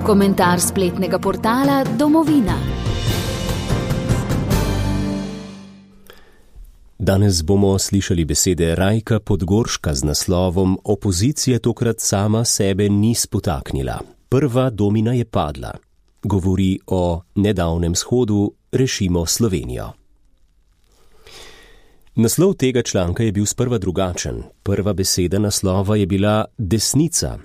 Komentar spletnega portala Domovina. Danes bomo slišali besede Rajka Podgorška z naslovom Opozicija tokrat sama sebe ni spotaknila. Prva domina je padla. Govori o nedavnem shodu Rešimo Slovenijo. Naslov tega članka je bil sprva drugačen. Prva beseda naslova je bila desnica.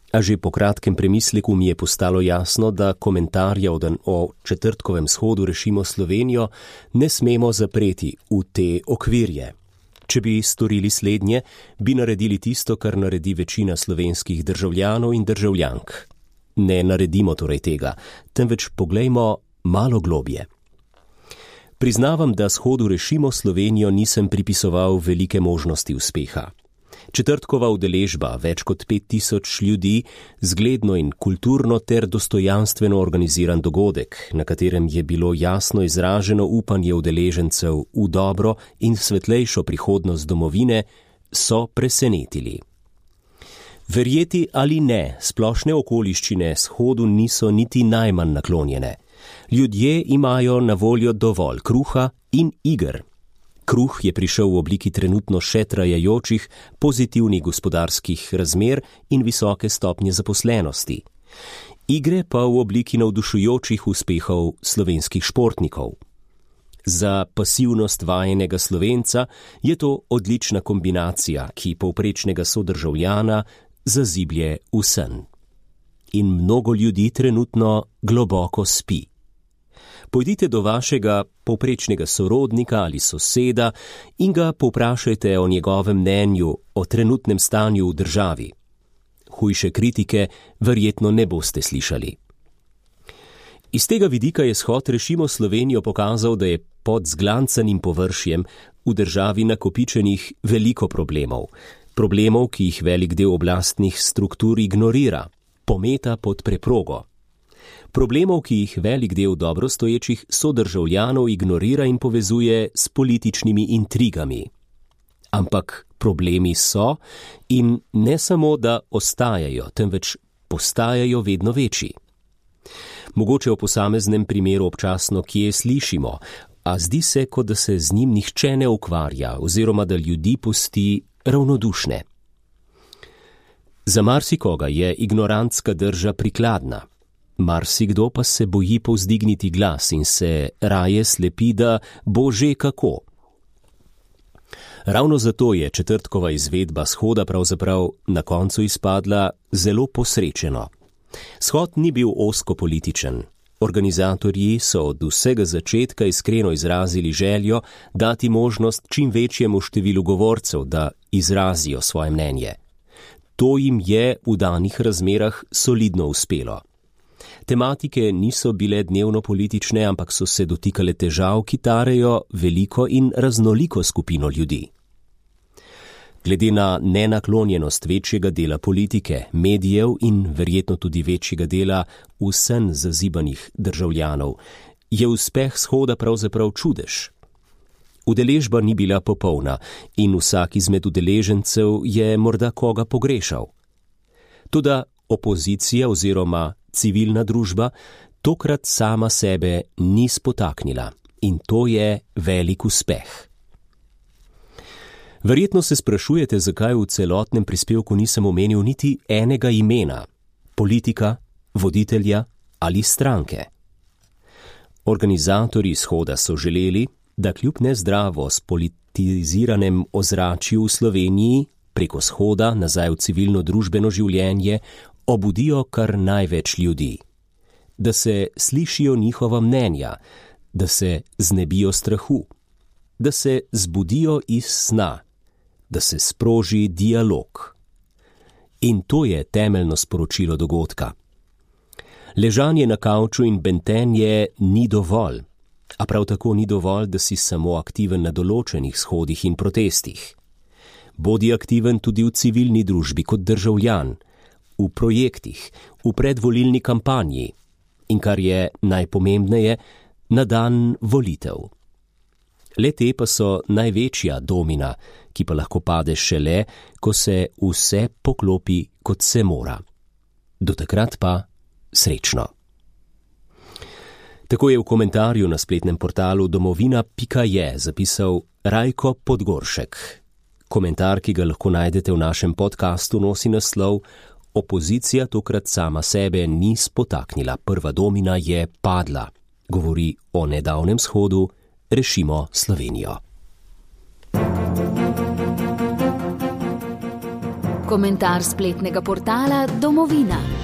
A že po kratkem premisleku mi je postalo jasno, da komentarja o četrtkovem shodu Rešimo Slovenijo ne smemo zapreti v te okvirje. Če bi storili slednje, bi naredili tisto, kar naredi večina slovenskih državljanov in državljank. Ne naredimo torej tega, temveč poglejmo malo globje. Priznavam, da shodu Rešimo Slovenijo nisem pripisoval velike možnosti uspeha. Četrtkova udeležba, več kot 5000 ljudi, zgledno in kulturno ter dostojanstveno organiziran dogodek, na katerem je bilo jasno izraženo upanje udeležencev v dobro in svetlejšo prihodnost domovine, so presenetili. Verjeti ali ne, splošne okoliščine shodu niso niti najmanj naklonjene. Ljudje imajo na voljo dovolj kruha in iger. Kruh je prišel v obliki trenutno še trajajočih pozitivnih gospodarskih razmer in visoke stopnje zaposlenosti. Igre pa v obliki navdušujočih uspehov slovenskih športnikov. Za pasivnost vajenega Slovenca je to odlična kombinacija, ki povprečnega sodržavljana zaziblje v sen. In mnogo ljudi trenutno globoko spi. Pojdite do vašega povprečnega sorodnika ali soseda in ga povprašajte o njegovem mnenju o trenutnem stanju v državi. Hujše kritike verjetno ne boste slišali. Iz tega vidika je shod Rešimo Slovenijo pokazal, da je pod zglancanim površjem v državi nakopičenih veliko problemov. Problemov, ki jih velik del oblastnih struktur ignorira, pometa pod preprogo. Problemov, ki jih velik del dobro stoječih sodržavljanov ignorira in povezuje s političnimi intrigami. Ampak problemi so in ne samo, da ostajajo, temveč postajajo vedno večji. Mogoče v posameznem primeru občasno kje slišimo, a zdi se, kot da se z njim nihče ne ukvarja oziroma da ljudi pusti ravnodušne. Za marsikoga je ignorantska drža prikladna. Marsikdo pa se boji povzdigniti glas in se raje slepi, da bo že kako. Ravno zato je četrtkova izvedba shoda pravzaprav na koncu izpadla zelo posrečeno. Shod ni bil ozko političen. Organizatorji so od vsega začetka iskreno izrazili željo dati možnost čim večjemu številu govorcev, da izrazijo svoje mnenje. To jim je v danih razmerah solidno uspelo. Tematike niso bile dnevno politične, ampak so se dotikale težav, ki tarejo veliko in raznoliko skupino ljudi. Glede na nenaklonjenost večjega dela politike, medijev in verjetno tudi večjega dela vsem zazibanih državljanov, je uspeh shoda pravzaprav čudež. Udeležba ni bila popolna in vsak izmed udeležencev je morda koga pogrešal. Toda opozicija oziroma civilna družba tokrat sama sebe ni spotaknila in to je velik uspeh. Verjetno se sprašujete, zakaj v celotnem prispevku nisem omenil niti enega imena, politika, voditelja ali stranke. Organizatorji shoda so želeli, da kljub nezdravo spolitiziranem ozračju v Sloveniji preko shoda nazaj v civilno družbeno življenje obudijo kar največ ljudi. Da se slišijo njihova mnenja, da se znebijo strahu, da se zbudijo iz sna, da se sproži dialog. In to je temeljno sporočilo dogodka. Ležanje na kavču in bentenje ni dovolj, a prav tako ni dovolj, da si samo aktiven na določenih shodih in protestih. Bodi aktiven tudi v civilni družbi kot državljan, v projektih, v predvolilni kampanji in kar je najpomembneje, na dan volitev. Le te pa so največja domina, ki pa lahko pade šele, ko se vse poklopi, kot se mora. Do takrat pa srečno. Tako je v komentarju na spletnem portalu domovina.je zapisal Rajko Podgoršek. Komentar, ki ga lahko najdete v našem podcastu, nosi naslov Opozicija tokrat sama sebe ni spotaknila, prva domina je padla. Govori o nedavnem shodu Rešimo Slovenijo. Komentar spletnega portala Domovina.